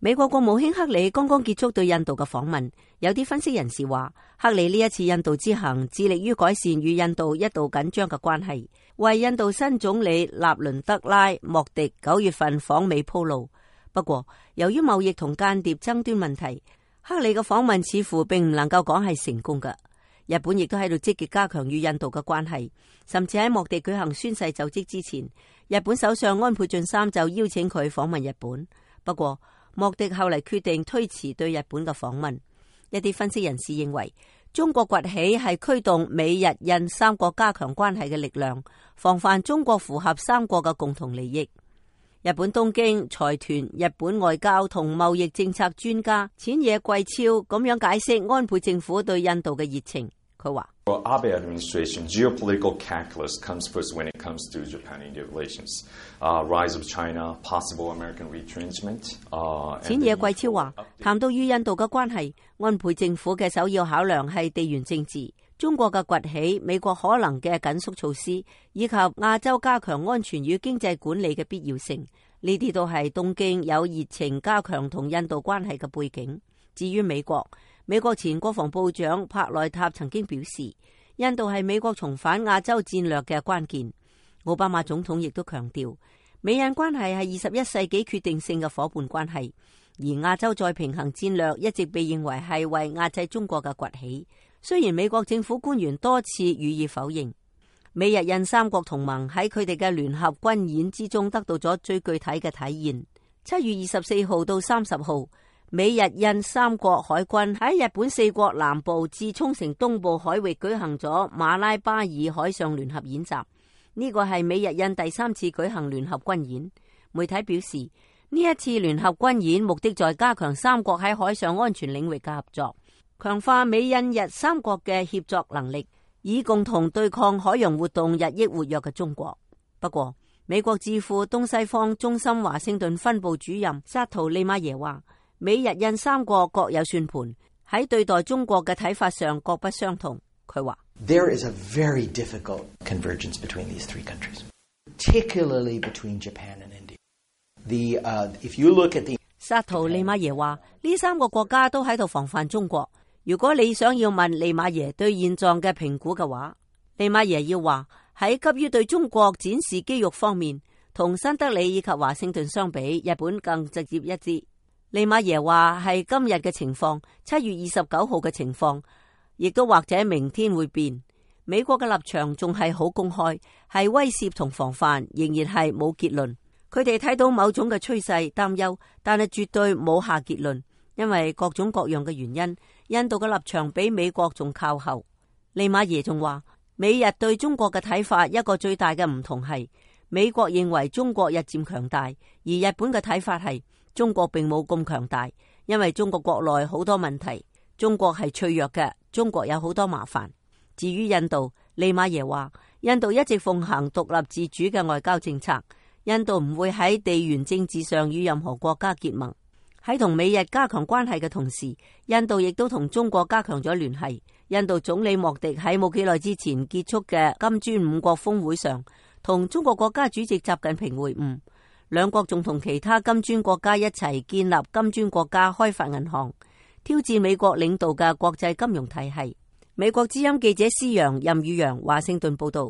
美國國務卿克里剛剛結束對印度嘅訪問，有啲分析人士話，克里呢一次印度之行致力於改善與印度一度緊張嘅關係，為印度新總理納倫德拉莫迪9月份訪美鋪路。不過，由於貿易同間諜爭端問題，克里嘅訪問似乎並唔能夠講係成功嘅。日本亦都喺度積極加強與印度嘅關係，甚至喺莫迪舉行宣誓就職之前，日本首相安倍晉三就邀請佢訪問日本。不過，莫迪後嚟決定推遲對日本嘅訪問。一啲分析人士認為，中國崛起係驅動美日印三國加強關係嘅力量，防範中國符合三國嘅共同利益。日本東京財團日本外交同貿易政策專家淺野貴昭咁樣解釋安倍政府對印度嘅熱情。佢話：Abe administration geopolitical calculus comes first when it comes to Japan-India relations. Rise of China, possible American retrenchment. 淺野貴昭話，談到與印度嘅關係，安倍政府嘅首要考量係地緣政治、中國嘅崛起、美國可能嘅緊縮措施，以及亞洲加強安全與經濟管理嘅必要性。呢啲都係東京有熱情加強同印度關係嘅背景。至於美國前國防部長帕內塔曾經表示，印度係美國重返亞洲戰略嘅關鍵。奧巴馬總統亦都強調，美印關係係21世紀決定性嘅夥伴關係，而亞洲再平衡戰略一直被認為係為壓制中國嘅崛起。雖然美國政府官員多次予以否認，美日印三國同盟喺佢哋嘅聯合軍演之中得到咗最具體嘅體現。7月24號到30號，美日印三國海軍喺日本4國南部至沖繩東部海域舉行咗馬拉巴爾海上聯合演習。呢個係美日印第3次舉行聯合軍演。媒體表示，呢一次聯合軍演目的在加強三國喺海上安全領域嘅合作，強化美印日三國嘅協作能力，以共同對抗海洋活動日益活躍嘅中國。不過，美國智庫東西方中心華盛頓分部主任薩圖利馬耶話，美日印三國各有算盤，喺對待中國嘅睇法上各不相同。佢話：There is a very difficult convergence between these three countries, particularly between Japan and India. If you look at the 薩圖利馬耶話，呢三個國家都喺度防範中國。如果你想要問利馬耶對現狀嘅評估嘅話，利馬耶要話喺急於對中國展示肌肉方面，同新德里以及華盛頓相比，日本更直接一致。利馬耶話係今日嘅情況，7月29號嘅情況，亦都或者明天會變。美國嘅立場仲係好公開，係威懾同防範，仍然係冇結論。佢哋睇到某種嘅趨勢擔憂，但係絕對冇下結論，因為各種各樣嘅原因，印度嘅立場比美國仲靠後。利馬耶仲話，美日對中國嘅睇法一個最大嘅唔同係，美國認為中國日漸強大，而日本嘅睇法係中國並冇咁強大，因為中國國內好多問題，中國係脆弱嘅，中國有好多麻煩。至於印度，利馬耶話，印度一直奉行獨立自主嘅外交政策，印度唔會喺地緣政治上與任何國家結盟。喺同美日加強關係嘅同時，印度亦都同中國加強咗聯繫。印度總理莫迪喺冇幾耐之前結束嘅金磚5國峰會上，同中國國家主席習近平會晤，兩國仲同其他金磚國家一齊建立金磚國家開發銀行，挑戰美國領導嘅國際金融體系。美國之音記者施陽、任宇陽華盛頓報道。